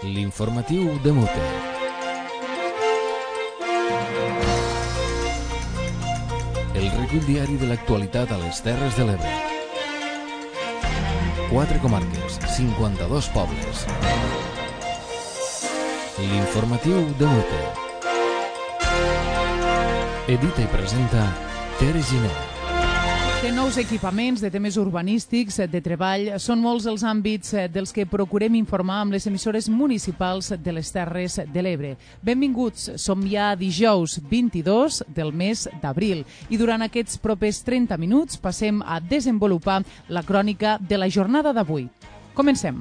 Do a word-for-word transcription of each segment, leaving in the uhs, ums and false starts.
L'informatiu de Mute. El recull diari de l'actualitat a les Terres de l'Ebre. Quatre comarques, cinquanta-dos pobles. L'informatiu de Mute. Edita i presenta Tere Giner. De nous equipaments, de temes urbanístics, de treball, són molts els àmbits dels que procurem informar amb les emissores municipals de les Terres de l'Ebre. Benvinguts, som ja dijous vint-i-dos del mes d'abril i durant aquests propers trenta minuts passem a desenvolupar la crònica de la jornada d'avui. Comencem.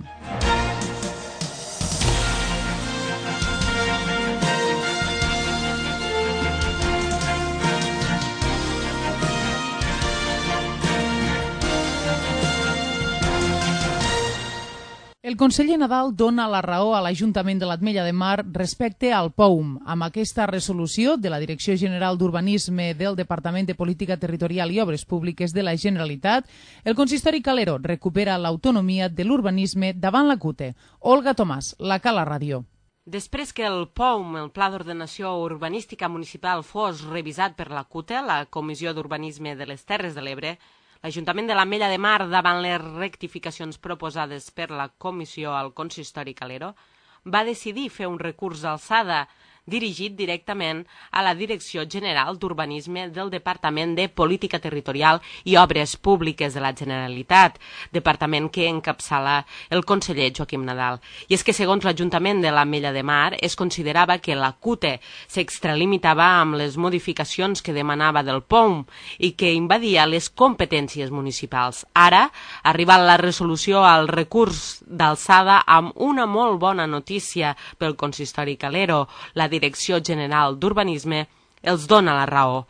El conseller Nadal dona la raó a l'Ajuntament de l'Ametlla de Mar respecte al P O U M. Amb aquesta resolució de la Direcció General d'Urbanisme del Departament de Política Territorial i Obres Públiques de la Generalitat, el consistori calero recupera l'autonomia de l'urbanisme davant la CUTE. Olga Tomàs, la Cala Ràdio. Després que el P O U M, el Pla d'Ordenació Urbanística Municipal, fos revisat per la CUTE, la Comissió d'Urbanisme de les Terres de l'Ebre, l'Ajuntament de l'Ametlla de Mar, davant les rectificacions proposades per la Comissió al Consistori Calero, va decidir fer un recurs d'alçada dirigit directament a la Direcció General d'Urbanisme del Departament de Política Territorial i Obres Públiques de la Generalitat, departament que encapçala el conseller Joaquim Nadal. I és que, segons l'Ajuntament de l'Ametlla de Mar, es considerava que la CUTE s'extralimitava amb les modificacions que demanava del P O U M i que invadia les competències municipals. Ara, arriba la resolució al recurs d'alçada amb una molt bona notícia pel consistori calero. La Direcció General d'Urbanisme els dona la raó.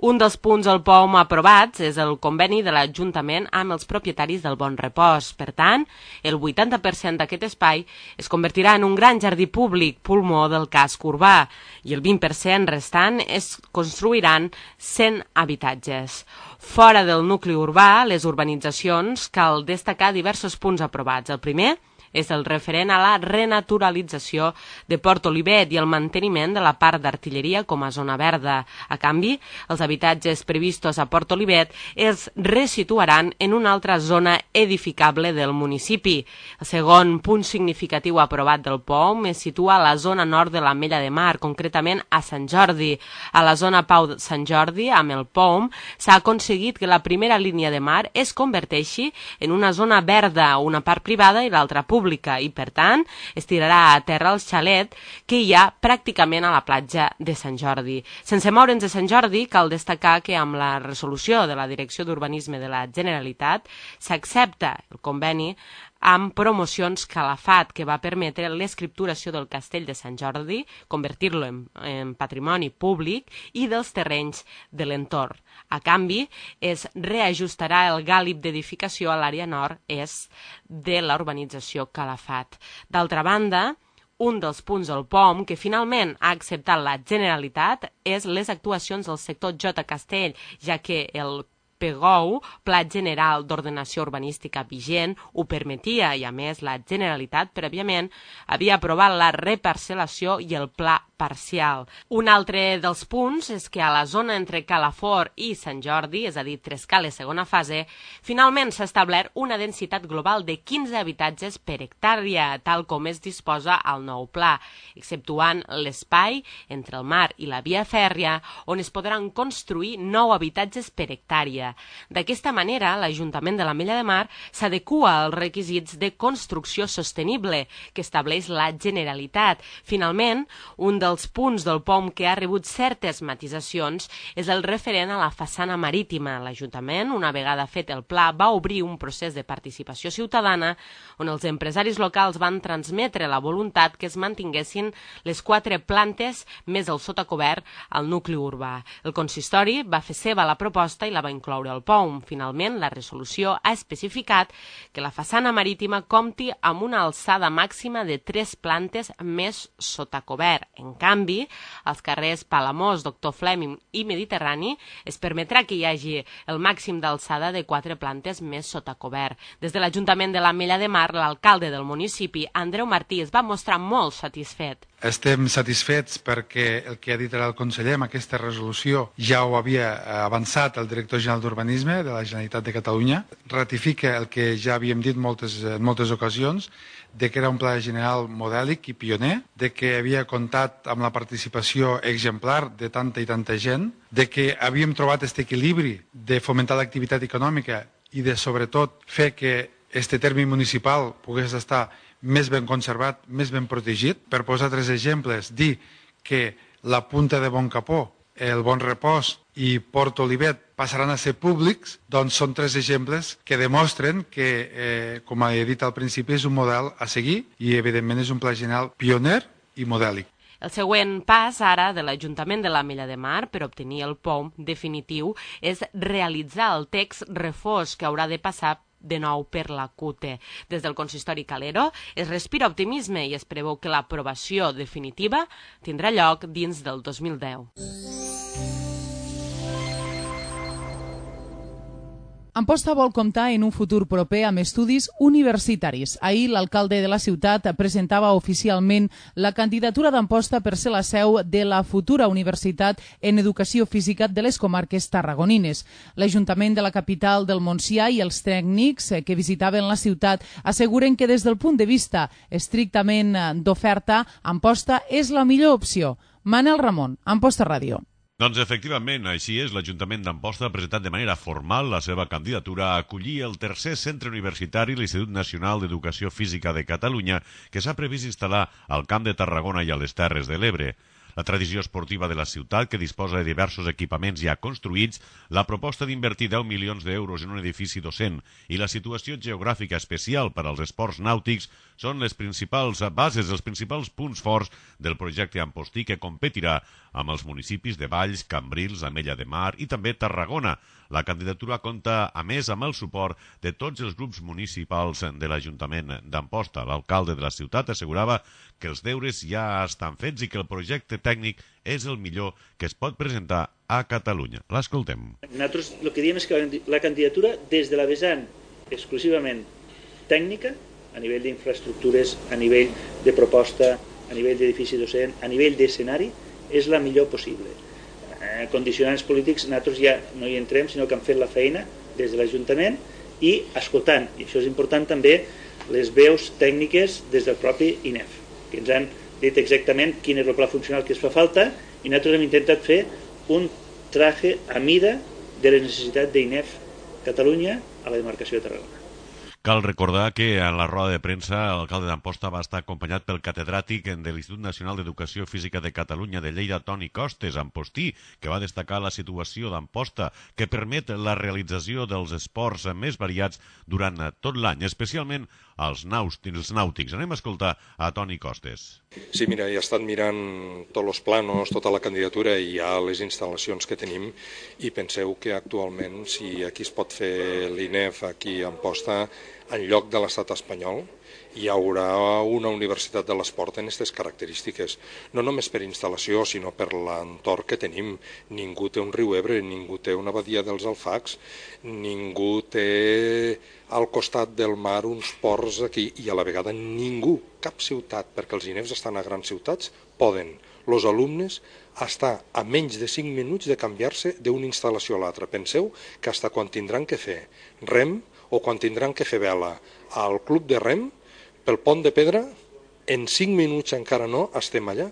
Un dels punts del P O U M aprovats és el conveni de l'Ajuntament amb els propietaris del Bon Repòs. Per tant, el vuitanta per cent d'aquest espai es convertirà en un gran jardí públic, pulmó del casc urbà, i el vint per cent restant es construiran cent habitatges. Fora del nucli urbà, les urbanitzacions, cal destacar diversos punts aprovats. El primer és el referent a la renaturalització de Port Olivet i el manteniment de la part d'artilleria com a zona verda. A canvi, els habitatges previstos a Port Olivet es resituaran en una altra zona edificable del municipi. El segon punt significatiu aprovat del P O U M es situa a la zona nord de l'Ametlla de Mar, concretament a Sant Jordi. A la zona Pau de Sant Jordi, amb el P O U M, s'ha aconseguit que la primera línia de mar es converteixi en una zona verda, una part privada i l'altra pública. i, per tant, es tirarà a terra el xalet que hi ha pràcticament a la platja de Sant Jordi. Sense moure'ns de Sant Jordi, cal destacar que amb la resolució de la Direcció d'Urbanisme de la Generalitat s'accepta el conveni amb promocions Calafat, que va permetre l'escripturació del castell de Sant Jordi, convertir-lo en, en patrimoni públic i dels terrenys de l'entorn. A canvi, es reajustarà el gàlib d'edificació a l'àrea nord-est de la urbanització Calafat. D'altra banda, un dels punts del P O U M que finalment ha acceptat la Generalitat és les actuacions del sector J. Castell, ja que el P G O U, Pla General d'Ordenació Urbanística vigent, ho permetia i, a més, la Generalitat prèviament havia aprovat la reparcel·lació i el pla parcial. Un altre dels punts és que a la zona entre Calafort i Sant Jordi, és a dir, Trescales segona fase, finalment s'ha establert una densitat global de quinze habitatges per hectàrea, tal com es disposa al nou pla, exceptuant l'espai entre el mar i la via fèrria, on es podran construir nou habitatges per hectàrea. D'aquesta manera, l'Ajuntament de l'Ametlla de Mar s'adequa als requisits de construcció sostenible que estableix la Generalitat. Finalment, un dels punts del P O U M que ha rebut certes matisacions és el referent a la façana marítima. L'Ajuntament, una vegada fet el pla, va obrir un procés de participació ciutadana on els empresaris locals van transmetre la voluntat que es mantinguessin les quatre plantes més el sotacobert al nucli urbà. El consistori va fer seva la proposta i la va incloure al P O U M. Finalment, la resolució ha especificat que la façana marítima compti amb una alçada màxima de tres plantes més sotacobert. En canvi, als carrers Palamós, Doctor Fleming i Mediterrani es permetrà que hi hagi el màxim d'alçada de quatre plantes més sota cobert. Des de l'Ajuntament de l'Ametlla de Mar, l'alcalde del municipi, Andreu Martí, es va mostrar molt satisfet. Estem satisfets perquè el que ha dit ara el conseller amb aquesta resolució ja ho havia avançat el director general d'Urbanisme de la Generalitat de Catalunya. Ratifica el que ja havíem dit moltes, en moltes ocasions, de que era un pla general modèlic i pioner, de que havia comptat amb la participació exemplar de tanta i tanta gent, de que havíem trobat aquest equilibri de fomentar l'activitat econòmica i de, sobretot, fer que este terme municipal pogués estar més ben conservat, més ben protegit. Per posar tres exemples, dir que la Punta de Bon Capó, el Bon Repòs i Port Olivet passaran a ser públics, doncs són tres exemples que demostren que, eh, com he dit al principi, és un model a seguir i, evidentment, és un pla general pioner i modèlic. El següent pas ara de l'Ajuntament de l'Ametlla de Mar per obtenir el P O M definitiu és realitzar el text refós que haurà de passar de nou per la C U T E. Des del consistori Calero es respira optimisme i es preveu que l'aprovació definitiva tindrà lloc dins del dos mil deu. Amposta vol comptar en un futur proper amb estudis universitaris. Ahir l'alcalde de la ciutat presentava oficialment la candidatura d'Amposta per ser la seu de la futura Universitat en Educació Física de les comarques tarragonines. L'Ajuntament de la capital del Montsià i els tècnics que visitaven la ciutat asseguren que des del punt de vista estrictament d'oferta, Amposta és la millor opció. Manel Ramon, Amposta Ràdio. Doncs efectivament, així és, l'Ajuntament d'Amposta ha presentat de manera formal la seva candidatura a acollir el tercer centre universitari, l'Institut Nacional d'Educació Física de Catalunya, que s'ha previst instal·lar al Camp de Tarragona i a les Terres de l'Ebre. La tradició esportiva de la ciutat, que disposa de diversos equipaments ja construïts, la proposta d'invertir deu milions d'euros en un edifici docent i la situació geogràfica especial per als esports nàutics són les principals bases, els principals punts forts del projecte Ampostí, que competirà amb els municipis de Valls, Cambrils, Ametlla de Mar i també Tarragona. La candidatura compta, a més, amb el suport de tots els grups municipals de l'Ajuntament d'Amposta. L'alcalde de la ciutat assegurava que els deures ja estan fets i que el projecte tècnic és el millor que es pot presentar a Catalunya. L'escoltem. Nosaltres el que diem és que la candidatura, des de la vessant exclusivament tècnica, a nivell d'infraestructures, a nivell de proposta, a nivell d'edifici docent, a nivell d'escenari, és la millor possible. Eh, condicionants polítics, nosaltres ja no hi entrem, sinó que hem fet la feina des de l'Ajuntament i escoltant, i això és important també, les veus tècniques des del propi I N E F, que ens han dit exactament quin és el pla funcional que es fa falta, i nosaltres hem intentat fer un traje a mida de les necessitats d'I N E F Catalunya a la demarcació de Tarragona. Cal recordar que en la roda de premsa l'alcalde d'Amposta va estar acompanyat pel catedràtic de l'Institut Nacional d'Educació Física de Catalunya de Lleida, Toni Costes, Ampostí, que va destacar la situació d'Amposta, que permet la realització dels esports més variats durant tot l'any, especialment els nàutics. Anem a escoltar a Toni Costes. Sí, mira, he estat mirant tots els planos, tota la candidatura i ja les instal·lacions que tenim, i penseu que actualment, si aquí es pot fer l'I N E F aquí a Amposta, en lloc de l'estat espanyol, hi haurà una universitat de l'esport en aquestes característiques. No només per instal·lació, sinó per l'entorn que tenim. Ningú té un riu Ebre, ningú té una badia dels Alfacs, ningú té al costat del mar uns ports aquí, i a la vegada ningú, cap ciutat, perquè els I N E Fs estan a grans ciutats, poden els alumnes estar a menys de cinc minuts de canviar-se d'una instal·lació a l'altra. Penseu que fins quan tindran que fer rem o quan tindran que fer vela al club de rem, pel pont de pedra, en cinc minuts encara no estem allà.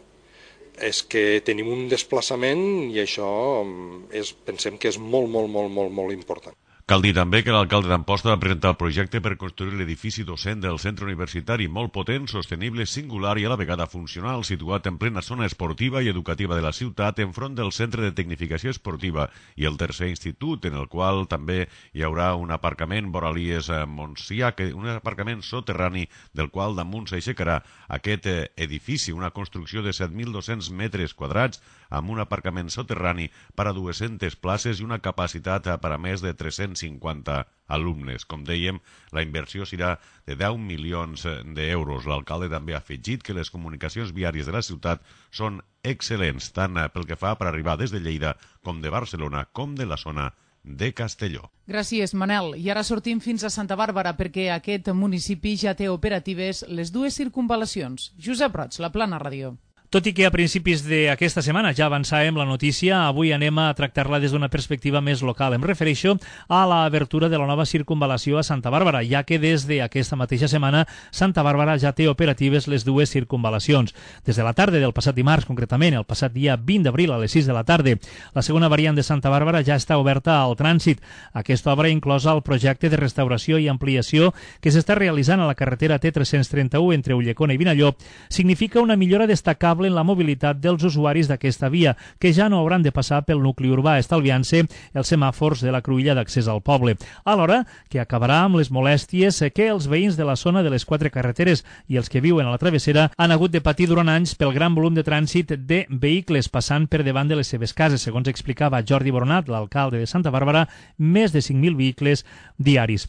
És que tenim un desplaçament i això és, pensem que és molt, molt, molt, molt, molt important. Cal dir també que l'alcalde d'Amposta va presentar el projecte per construir l'edifici docent del centre universitari, molt potent, sostenible, singular i a la vegada funcional, situat en plena zona esportiva i educativa de la ciutat, enfront del centre de tecnificació esportiva i el tercer institut, en el qual també hi haurà un aparcament Boralies Montsià, un aparcament soterrani del qual damunt s'aixecarà aquest edifici, una construcció de set mil dos-cents metres quadrats, amb un aparcament soterrani per a dues-centes places i una capacitat per a més de tres-cents cinquanta alumnes. Com dèiem, la inversió serà de deu milions d'euros. L'alcalde també ha afegit que les comunicacions viàries de la ciutat són excel·lents, tant pel que fa per arribar des de Lleida com de Barcelona com de la zona de Castelló. Gràcies, Manel. I ara sortim fins a Santa Bàrbara perquè aquest municipi ja té operatives les dues circunvalacions. Josep Roig, La Plana Ràdio. Tot i que a principis d'aquesta setmana ja avançàvem la notícia, avui anem a tractar-la des d'una perspectiva més local. Em refereixo a l'obertura de la nova circunvalació a Santa Bàrbara, ja que des d'aquesta mateixa setmana Santa Bàrbara ja té operatives les dues circunvalacions. Des de la tarda del passat dimarts, concretament, el passat dia vint d'abril a les sis de la tarda, la segona variant de Santa Bàrbara ja està oberta al trànsit. Aquesta obra inclosa el projecte de restauració i ampliació que s'està realitzant a la carretera T tres-cents trenta-u entre Ulldecona i Vinallop significa una millora destacable en la mobilitat dels usuaris d'aquesta via, que ja no hauran de passar pel nucli urbà, estalviant-se els semàfors de la cruïlla d'accés al poble. Alhora que acabarà amb les molèsties que els veïns de la zona de les quatre carreteres i els que viuen a la travessera han hagut de patir durant anys pel gran volum de trànsit de vehicles passant per davant de les seves cases. Segons explicava Jordi Boronat, l'alcalde de Santa Bàrbara, més de cinc mil vehicles diaris.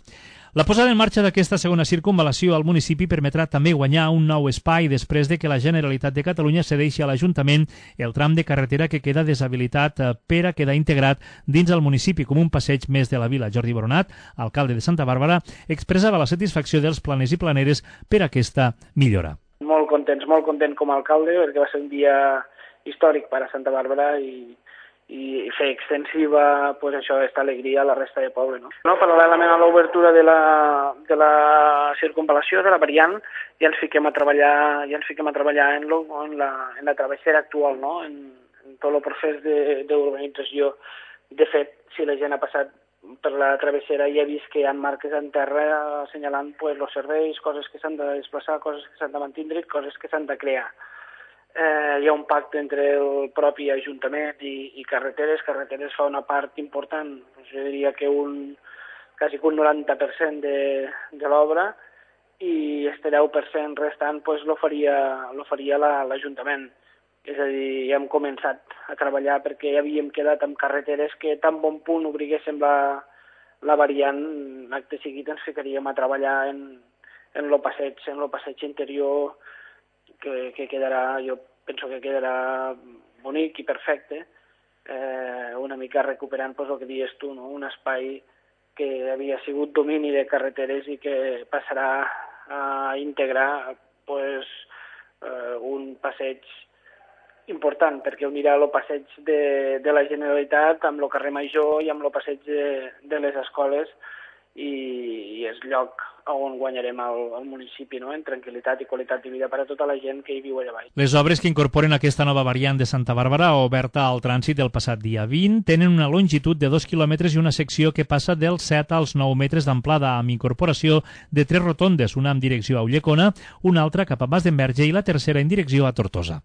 La posada en marxa d'aquesta segona circunvalació al municipi permetrà també guanyar un nou espai després de que la Generalitat de Catalunya cedeixi a l'Ajuntament el tram de carretera que queda deshabilitat per a quedar integrat dins el municipi com un passeig més de la vila. Jordi Boronat, alcalde de Santa Bàrbara, expressava la satisfacció dels planers i planeres per aquesta millora. Molt contents, molt content com a alcalde, perquè va ser un dia històric per a Santa Bàrbara i i fer extensiva pues, això, aquesta alegria a la resta de poble. No? No, paral·lelament a l'obertura de, la, de la circunvalació, de la variant, ja ens fiquem a treballar, ja ens fiquem a treballar en, lo, en, la, en la travessera actual, no? en, en tot el procés d'urbanització. De, de fet, si la gent ha passat per la travessera i ha vist que hi ha marques en terra assenyalant pues, els serveis, coses que s'han de desplaçar, coses que s'han de mantindre i coses que s'han de crear. Eh, hi ha un pacte entre el propi Ajuntament i, i Carreteres. Carreteres fa una part important, jo diria que un, quasi un noranta per cent de, de l'obra, i este deu per cent restant pues, lo faria, lo faria l'Ajuntament. És a dir, ja hem començat a treballar perquè ja havíem quedat amb Carreteres que tan bon punt obriguéssim la, la variant, acte seguit ens ficaríem a treballar en, en lo passeig, en lo passeig interior, Que, que quedarà, jo penso que quedarà bonic i perfecte, eh, una mica recuperant pues, el que dius tu, no? Un espai que havia sigut domini de Carreteres i que passarà a integrar pues, eh, un passeig important, perquè unirà el passeig de, de la Generalitat amb el carrer Major i amb el passeig de, de les escoles, i, i és lloc on guanyarem el, el municipi, no? En tranquil·litat i qualitat de vida per a tota la gent que hi viu allà baix. Les obres que incorporen aquesta nova variant de Santa Bàrbara, oberta al trànsit el passat dia vint, tenen una longitud de dos quilòmetres i una secció que passa dels set als nou metres d'amplada, amb incorporació de tres rotondes, una en direcció a Ulldecona, una altra cap a Mas d'Enverge i la tercera en direcció a Tortosa.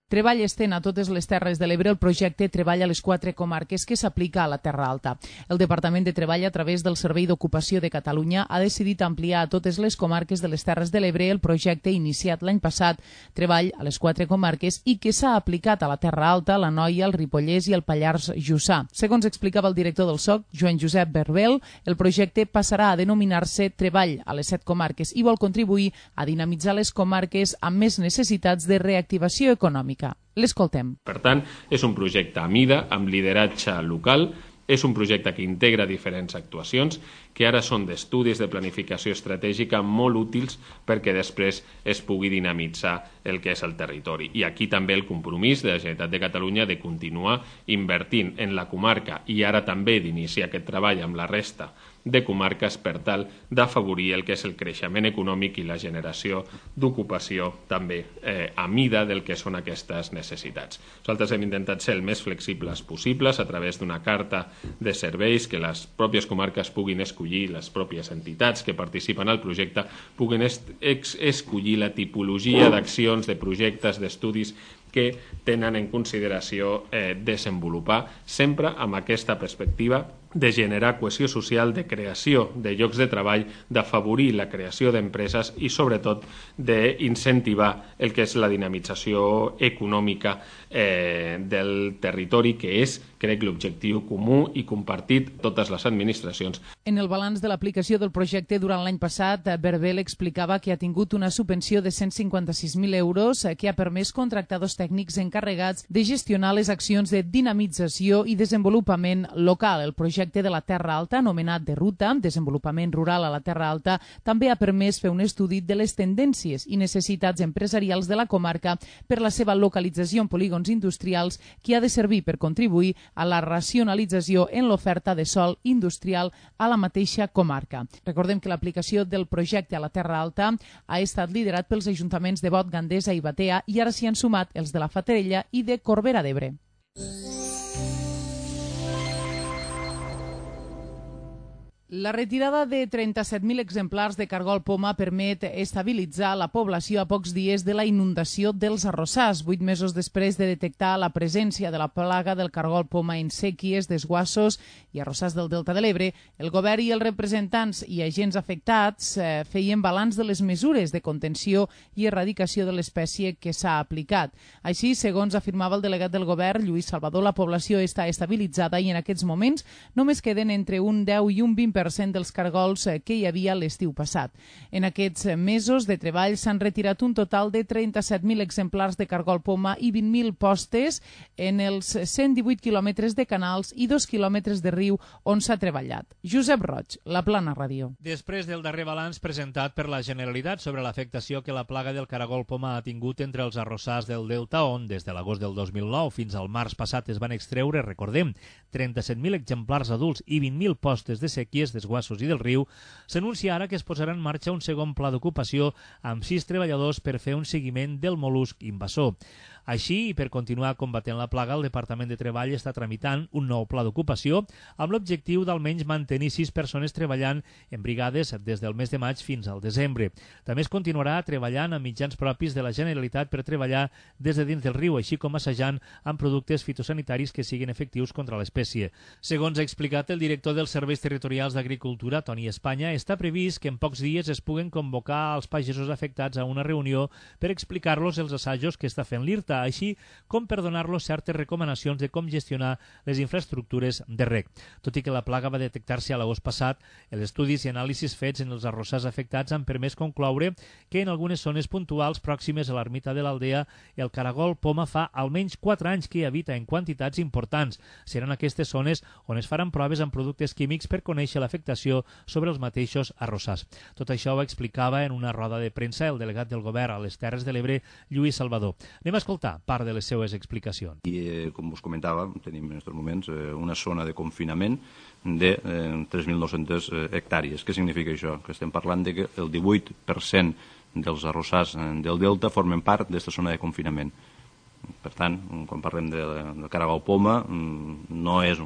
Treball estén a totes les Terres de l'Ebre el projecte Treball a les quatre comarques que s'aplica a la Terra Alta. El Departament de Treball, a través del Servei d'Ocupació de Catalunya, ha decidit ampliar a totes les comarques de les Terres de l'Ebre el projecte iniciat l'any passat, Treball a les quatre comarques, i que s'ha aplicat a la Terra Alta, la Noia, el Ripollès i el Pallars Jussà. Segons explicava el director del S O C, Joan Josep Berbel, el projecte passarà a denominar-se Treball a les set comarques i vol contribuir a dinamitzar les comarques amb més necessitats de reactivació econòmica. L'escoltem. Per tant, és un projecte a mida, amb lideratge local, és un projecte que integra diferents actuacions que ara són d'estudis de planificació estratègica molt útils perquè després es pugui dinamitzar el que és el territori. I aquí també el compromís de la Generalitat de Catalunya de continuar invertint en la comarca i ara també d'iniciar aquest treball amb la resta de comarques per tal d'afavorir el que és el creixement econòmic i la generació d'ocupació també eh, a mida del que són aquestes necessitats. Nosaltres hem intentat ser el més flexibles possibles a través d'una carta de serveis que les pròpies comarques puguin escollir, les pròpies entitats que participen al projecte puguin es escollir la tipologia d'accions, de projectes, d'estudis que tenen en consideració eh, desenvolupar, sempre amb aquesta perspectiva de generar cohesió social, de creació de llocs de treball, d'afavorir la creació d'empreses i, sobretot, d'incentivar el que és la dinamització econòmica eh, del territori, que és crec, l'objectiu comú i compartit totes les administracions. En el balanç de l'aplicació del projecte durant l'any passat, Berbel explicava que ha tingut una subvenció de cent cinquanta-sis mil euros que ha permès contractar dos tècnics encarregats de gestionar les accions de dinamització i desenvolupament local. El projecte de la Terra Alta, anomenat de Ruta, Desenvolupament Rural a la Terra Alta, també ha permès fer un estudi de les tendències i necessitats empresarials de la comarca per la seva localització en polígons industrials, que ha de servir per contribuir a la racionalització en l'oferta de sòl industrial a la mateixa comarca. Recordem que l'aplicació del projecte a la Terra Alta ha estat liderat pels ajuntaments de Bot, Gandesa i Batea, i ara s'hi han sumat els de la Fatarella i de Corbera d'Ebre. La retirada de trenta-set mil exemplars de cargol poma permet estabilitzar la població a pocs dies de la inundació dels arrossars, vuit mesos després de detectar la presència de la plaga del cargol poma en séquies, desguassos i arrossars del Delta de l'Ebre. El govern i els representants i agents afectats eh, feien balanç de les mesures de contenció i erradicació de l'espècie que s'ha aplicat. Així, segons afirmava el delegat del govern, Lluís Salvador, la població està estabilitzada i en aquests moments només queden entre un deu i un vint per cent dels cargols que hi havia l'estiu passat. En aquests mesos de treball s'han retirat un total de trenta-set mil exemplars de cargol poma i vint mil postes en els cent divuit quilòmetres de canals i dos quilòmetres de riu on s'ha treballat. Josep Roig, La Plana Ràdio. Després del darrer balanç presentat per la Generalitat sobre l'afectació que la plaga del caragol poma ha tingut entre els arrossars del Delta, on des de l'agost del dos mil nou fins al març passat es van extreure, recordem, trenta-set mil exemplars adults i vint mil postes de séquies, desguassos i del riu, s'anuncia ara que es posarà en marxa un segon pla d'ocupació amb sis treballadors per fer un seguiment del mol·lusc invasor. Així, i per continuar combatent la plaga, el Departament de Treball està tramitant un nou pla d'ocupació amb l'objectiu d'almenys mantenir sis persones treballant en brigades des del mes de maig fins al desembre. També es continuarà treballant amb mitjans propis de la Generalitat per treballar des de dins del riu, així com assajant amb productes fitosanitaris que siguin efectius contra l'espècie. Segons ha explicat el director dels Serveis Territorials d'Agricultura, Toni Espanya, està previst que en pocs dies es puguen convocar als pagesos afectats a una reunió per explicar-los els assajos que està fent l'I R T A, així com per donar-los certes recomanacions de com gestionar les infraestructures de reg. Tot i que la plaga va detectar-se a l'agost passat, els estudis i anàlisis fets en els arrossars afectats han permès concloure que en algunes zones puntuals pròximes a l'ermita de l'Aldea el caragol poma fa almenys quatre anys que hi habita en quantitats importants. Seran aquestes zones on es faran proves amb productes químics per conèixer l'afectació sobre els mateixos arrossars. Tot això ho explicava en una roda de premsa el delegat del govern a les Terres de l'Ebre, Lluís Salvador. Anem a escoltar part de les seues explicacions. I, eh, com us comentava, tenim en aquests moments eh, una zona de confinament de eh, tres mil nou-centes eh, hectàrees. Què significa això? Que estem parlant de que el divuit per cent dels arrossars eh, del Delta formen part d'aquesta zona de confinament. Per tant, quan parlem de, de caragol poma, no és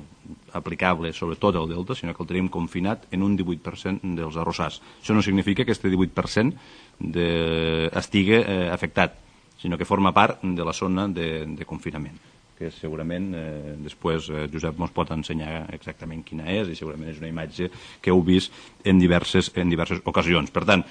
aplicable sobre tot el Delta, sinó que el tenim confinat en un divuit per cent dels arrossars. Això no significa que aquest divuit per cent de... estigui eh, afectat, sinó que forma part de la zona de, de confinament, que segurament eh, després eh, Josep ens pot ensenyar exactament quina és, i segurament és una imatge que heu vist en diverses, en diverses ocasions. Per tant,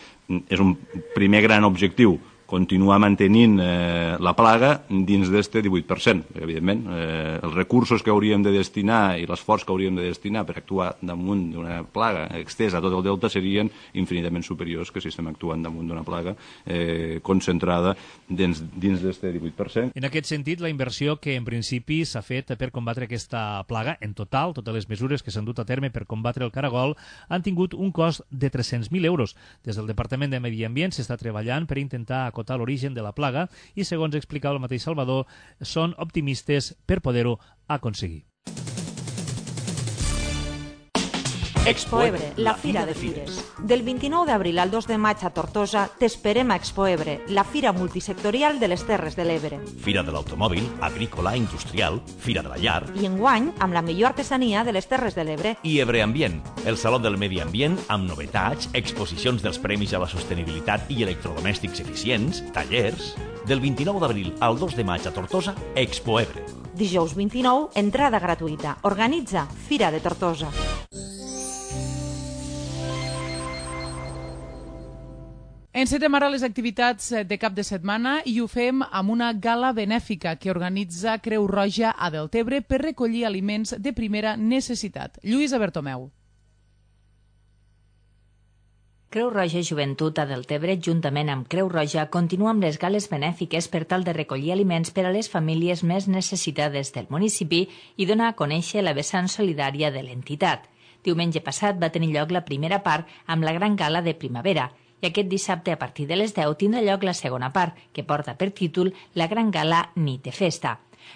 és un primer gran objectiu continuar mantenint eh, la plaga dins d'aquest divuit per cent. Evidentment, eh, els recursos que hauríem de destinar i l'esforç que hauríem de destinar per actuar damunt d'una plaga extesa a tot el delta serien infinitament superiors que si estem actuant damunt d'una plaga eh, concentrada dins, dins d'aquest divuit per cent. En aquest sentit, la inversió que en principi s'ha fet per combatre aquesta plaga, en total, totes les mesures que s'han dut a terme per combatre el caragol, han tingut un cost de tres-cents mil euros. Des del Departament de Medi Ambient s'està treballant per intentar acotar l'origen de la plaga i, segons explicava el mateix Salvador, són optimistes per poder-ho aconseguir. Expoebre, la Fira de Fires. Del vint-i-nou d'abril al dos de maig a Tortosa t'esperem a Expoebre, la fira multisectorial de les Terres de l'Ebre. Fira de l'automòbil, agrícola, industrial, Fira de la llar. I enguany amb la millor artesania de les Terres de l'Ebre. I Ebre Ambient, el Saló del Medi Ambient amb novetats, exposicions dels premis a la sostenibilitat i electrodomèstics eficients, tallers. Del vint-i-nou d'abril al dos de maig a Tortosa, Expoebre. Dijous vint-i-nou, entrada gratuïta. Organitza Fira de Tortosa. Encetem ara les activitats de cap de setmana i ho fem amb una gala benèfica que organitza Creu Roja a Deltebre per recollir aliments de primera necessitat. Lluïsa Bertomeu. Creu Roja Joventut a Deltebre, juntament amb Creu Roja, continua amb les gales benèfiques per tal de recollir aliments per a les famílies més necessitades del municipi i donar a conèixer la vessant solidària de l'entitat. Diumenge passat va tenir lloc la primera part amb la gran gala de primavera i aquest dissabte a partir de les deu tindrà lloc la segona part, que porta per títol la gran gala Nit de Festa.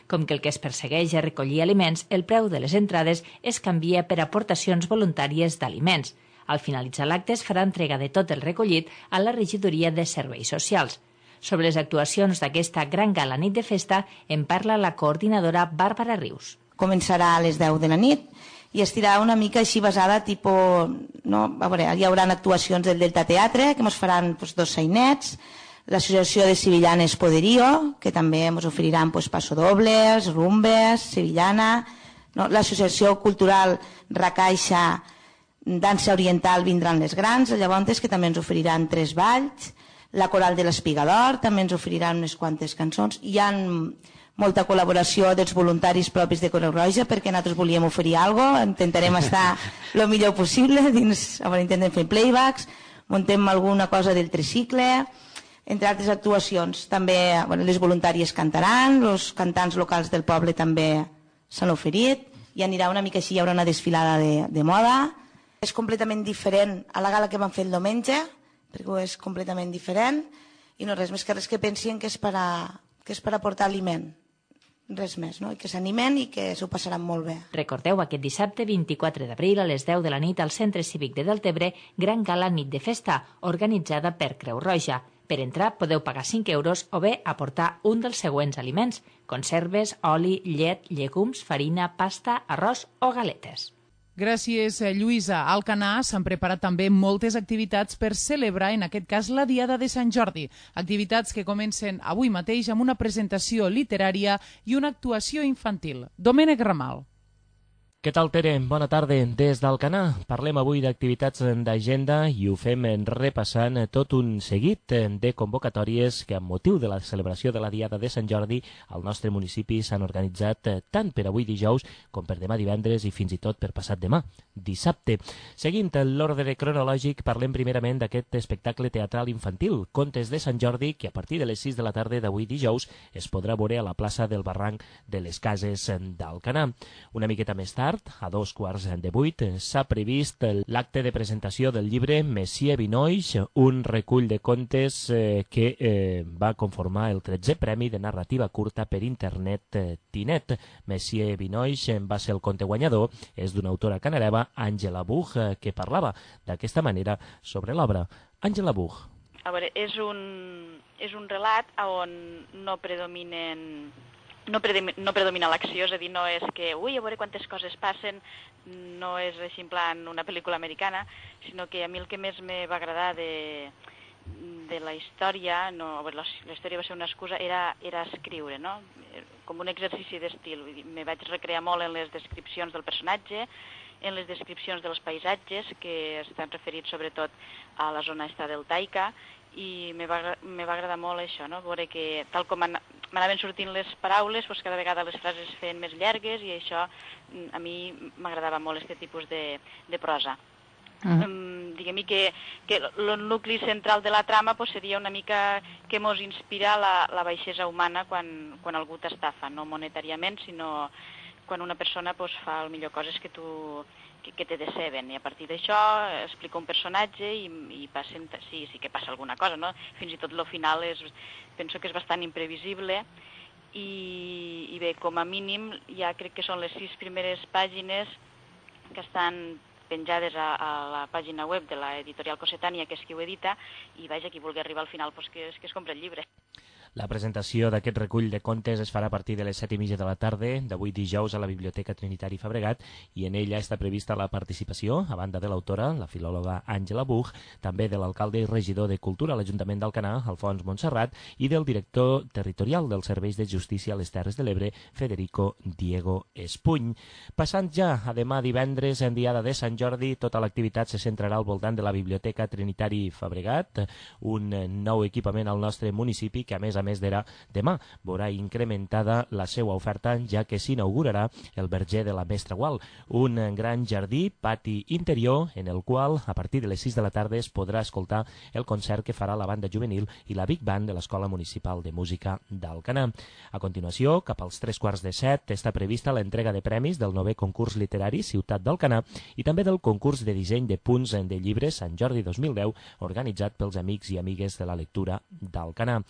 Com que el que es persegueix és recollir aliments, el preu de les entrades es canvia per aportacions voluntàries d'aliments. Al finalitzar l'acte es farà entrega de tot el recollit a la regidoria de Serveis Socials. Sobre les actuacions d'aquesta gran gala Nit de Festa en parla la coordinadora Bàrbara Rius. Començarà a les deu de la nit i estirà una mica així basada, tipus, no? A veure, hi haurà actuacions del Delta Teatre, que ens faran pues, dos sainets, l'associació de Sevillanes Poderío, que també ens oferiran pues, passodobles, rumbes, sevillana, no? L'associació cultural Racaixa Dansa Oriental vindran les grans, llavors que també ens oferiran tres balls, la coral de l'Espigador també ens oferiran unes quantes cançons, hi ha molta col·laboració dels voluntaris propis de Creu Roja perquè nosaltres volíem oferir alguna cosa, intentarem estar el millor possible, dins, a veure, intentem fer playbacks, muntem alguna cosa del tricicle, entre altres actuacions. També bueno, les voluntàries cantaran, els cantants locals del poble també s'han oferit, i anirà una mica així, hi haurà una desfilada de, de moda. És completament diferent a la gala que vam fer el diumenge, perquè és completament diferent, i no res més que res que pensin que és per a, que és per aportar aliment. Res més, no? I que s'animen i que s'ho passaran molt bé. Recordeu aquest dissabte vint-i-quatre d'abril a les deu de la nit al Centre Cívic de Deltebre, Gran Gala Nit de Festa, organitzada per Creu Roja. Per entrar podeu pagar cinc euros o bé aportar un dels següents aliments: conserves, oli, llet, llegums, farina, pasta, arròs o galetes. Gràcies, Lluïsa. A Alcanar s'han preparat també moltes activitats per celebrar, en aquest cas, la Diada de Sant Jordi. Activitats que comencen avui mateix amb una presentació literària i una actuació infantil. Domènec Ramal. Què tal, Pere? Bona tarda. Des d'Alcanar parlem avui d'activitats d'agenda i ho fem repassant tot un seguit de convocatòries que amb motiu de la celebració de la Diada de Sant Jordi al nostre municipi s'han organitzat tant per avui dijous com per demà divendres i fins i tot per passat demà, dissabte. Seguint l'ordre cronològic, parlem primerament d'aquest espectacle teatral infantil, Contes de Sant Jordi, que a partir de les sis de la tarda d'avui dijous es podrà veure a la plaça del Barranc de les Cases d'Alcanar. Una miqueta més tard, a dos quarts de vuit, s'ha previst l'acte de presentació del llibre Messier Vinoix, un recull de contes eh, que eh, va conformar el tretzè Premi de Narrativa Curta per Internet eh, Tinet. Messier Vinoix va ser el conte guanyador, és d'una autora canareva, Àngela Buch, eh, que parlava d'aquesta manera sobre l'obra. Àngela Buch. A veure, és un, és un relat on no predominen No, predomina, no predomina l'acció, és a dir, no és que, ui, a veure quantes coses passen, no és així en plan una pel·lícula americana, sinó que a mi el que més me va agradar de, de la història, no, la, la història va ser una excusa, era, era escriure, no? Com un exercici d'estil. Me vaig recrear molt en les descripcions del personatge, en les descripcions dels paisatges, que estan referits sobretot a la zona esta deltaica, i me va, me va agradar molt això, no? Veure que tal com m'anaven sortint les paraules, doncs cada vegada les frases es feien més llargues i això a mi m'agradava molt aquest tipus de, de prosa. Uh-huh. um, Diguem-hi que, que el nucli central de la trama pues, seria una mica que mos inspira la, la baixesa humana quan, quan algú t'estafa, no monetàriament, sinó quan una persona pues, fa el millor coses que tu que, que te deceben, i a partir d'això explica un personatge i, i passen, sí, sí que passa alguna cosa, no? Fins i tot el final és, penso que és bastant imprevisible i, i bé, com a mínim ja crec que són les sis primeres pàgines que estan penjades a, a la pàgina web de l'editorial Cossetània, que és qui ho edita, i vaja, qui vulgui arribar al final, pues que, que es compra el llibre. La presentació d'aquest recull de contes es farà a partir de les set i mitja de la tarda d'avui dijous a la Biblioteca Trinitari Fabregat i en ella està prevista la participació, a banda de l'autora, la filòloga Àngela Buch, també de l'alcalde i regidor de Cultura a l'Ajuntament d'Alcanar, Alfons Montserrat, i del director territorial dels Serveis de Justícia a les Terres de l'Ebre, Federico Diego Espuny. Passant ja a demà divendres, en diada de Sant Jordi, tota l'activitat se centrarà al voltant de la Biblioteca Trinitari Fabregat, un nou equipament al nostre municipi que, a més a més d'era demà, veurà incrementada la seva oferta, ja que s'inaugurarà el verger de la Mestra Gual, un gran jardí, pati interior, en el qual, a partir de les sis de la tarda, es podrà escoltar el concert que farà la banda juvenil i la Big Band de l'Escola Municipal de Música d'Alcanar. A continuació, cap als tres quarts de set, està prevista l'entrega de premis del novè concurs literari Ciutat d'Alcanar i també del concurs de disseny de punts de llibres Sant Jordi dos mil deu, organitzat pels amics i amigues de la lectura d'Alcanar.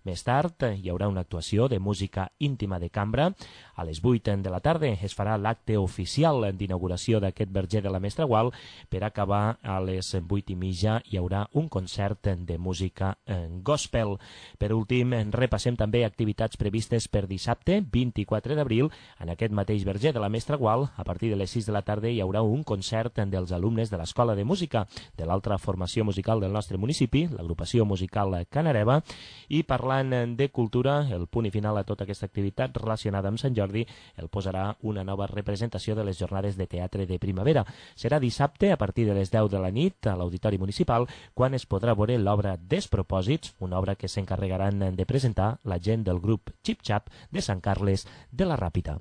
Més tard hi haurà una actuació de música íntima de cambra. A les vuit de la tarda es farà l'acte oficial d'inauguració d'aquest verger de la Mestra Gual. Per acabar, a les vuit i mitja hi haurà un concert de música gospel. Per últim, repassem també activitats previstes per dissabte, vint-i-quatre d'abril. En aquest mateix verger de la Mestra Gual, a partir de les sis de la tarda, hi haurà un concert dels alumnes de l'Escola de Música, de l'altra formació musical del nostre municipi, l'agrupació musical Canareva, i parlant de cultura, el punt i final a tota aquesta activitat relacionada amb Sant Jordi el posarà una nova representació de les jornades de teatre de primavera. Serà dissabte a partir de les deu de la nit a l'Auditori Municipal, quan es podrà veure l'obra Despropòsits, una obra que s'encarregaran de presentar la gent del grup Xip Xap de Sant Carles de la Ràpita.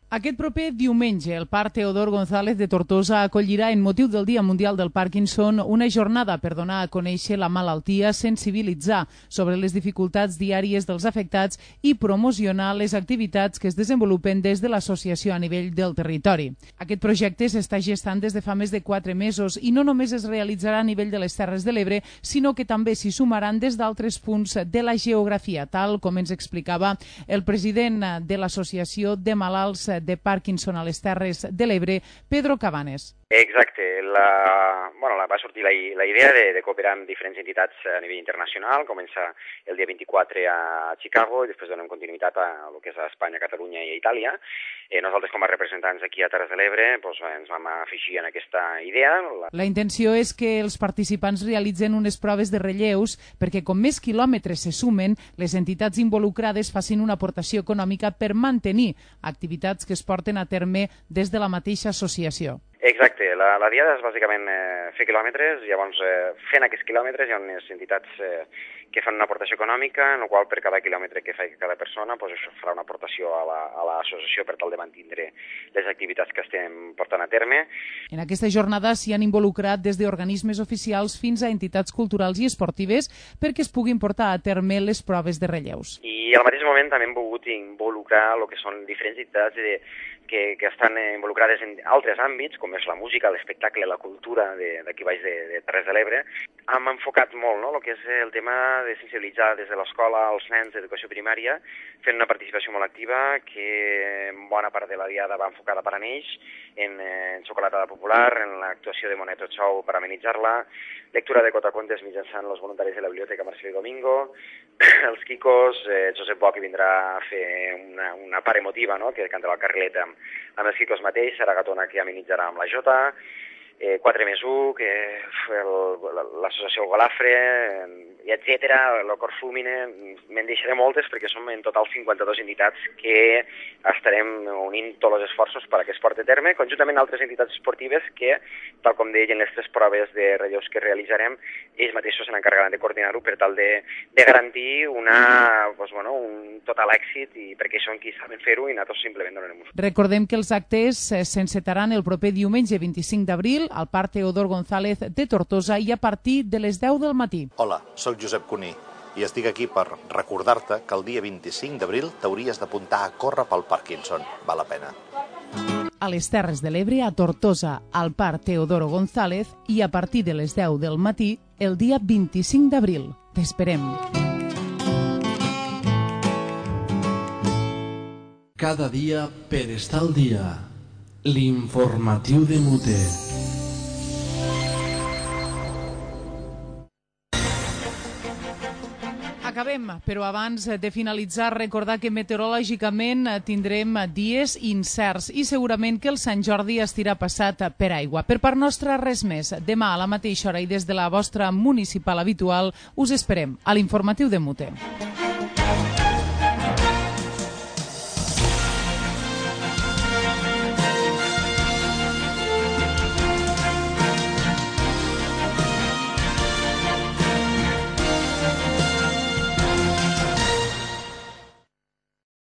Aquest proper diumenge, el Parc Teodor González de Tortosa acollirà, en motiu del Dia Mundial del Parkinson, una jornada per donar a conèixer la malaltia, sensibilitzar sobre les dificultats diàries dels afectats i promocionar les activitats que es desenvolupen des de l'associació a nivell del territori. Aquest projecte s'està gestant des de fa més de quatre mesos i no només es realitzarà a nivell de les Terres de l'Ebre, sinó que també s'hi sumaran des d'altres punts de la geografia, tal com ens explicava el president de l'Associació de Malalts de Parkinson a les Terres de l'Ebre, Pedro Cabanes. Exacte. La, bueno, la, va sortir la, la idea de, de cooperar amb diferents entitats a nivell internacional. Comença el dia vint-i-quatre a Chicago i després donem continuïtat a el que és a Espanya, Catalunya i a Itàlia. Eh, nosaltres, com a representants aquí a Terres de l'Ebre, doncs, ens vam afegir en aquesta idea. La... la intenció és que els participants realitzen unes proves de relleus perquè com més quilòmetres se sumen, les entitats involucrades facin una aportació econòmica per mantenir activitats que es porten a terme des de la mateixa associació. Exacte, la, la diada és bàsicament eh, fer quilòmetres, llavors eh, fent aquests quilòmetres hi ha unes entitats eh, que fan una aportació econòmica, en la qual per cada quilòmetre que fa cada persona doncs això farà una aportació a l'associació per tal de mantindre les activitats que estem portant a terme. En aquesta jornada s'hi han involucrat des d'organismes oficials fins a entitats culturals i esportives perquè es puguin portar a terme les proves de relleus. I al mateix moment també hem volgut involucrar el que són diferents entitats de, que, que estan involucrades en altres àmbits, com és la música, l'espectacle, la cultura d'aquí baix de, de Terres de l'Ebre. Hem enfocat molt no, el que és el tema de sensibilitzar des de l'escola als nens d'educació primària, fent una participació molt activa que en bona part de la diada va enfocada per a ells, en, en xocolatada popular, en l'actuació de Moneto Show per amenitzar-la, lectura de cotacontes mitjançant els voluntaris de la Biblioteca Marcelo i Domingo, els Quicos, eh, Josep Boc vindrà a fer una, una part emotiva, no?, que cantarà el carrilet amb, amb els Quicos mateix, Sara Gatona que amenitzarà amb la Jota, eh, quatre més u, que l'associació Golafre, i etcètera, el Cor Fúmine, me'n deixaré moltes perquè som en total cinquanta-dues entitats que estarem unint tots els esforços perquè es porti a terme, conjuntament amb altres entitats esportives que, tal com deien les tres proves de relleus que realitzarem, ells mateixos se n'encarregaran de coordinar-ho per tal de, de garantir una, doncs, bueno, un total èxit, i perquè són qui saben fer-ho i nosaltres simplement donem un... Recordem que els actes s'encetaran el proper diumenge vint-i-cinc d'abril al Parc Teodor González de Tortosa i a partir de les deu del matí. Hola, soc Josep Cuní i estic aquí per recordar-te que el dia vint-i-cinc d'abril t'hauries d'apuntar a córrer pel Parkinson. Val la pena. A les Terres de l'Ebre, a Tortosa, al Parc Teodoro González i a partir de les deu del matí el dia vint-i-cinc d'abril. T'esperem. Cada dia per estar al dia. L'informatiu de Muté. Acabem, però abans de finalitzar, recordar que meteorològicament tindrem dies incerts i segurament que el Sant Jordi estirà passat per aigua. Per part nostra, res més. Demà a la mateixa hora i des de la vostra municipal habitual us esperem a l'informatiu de Mute.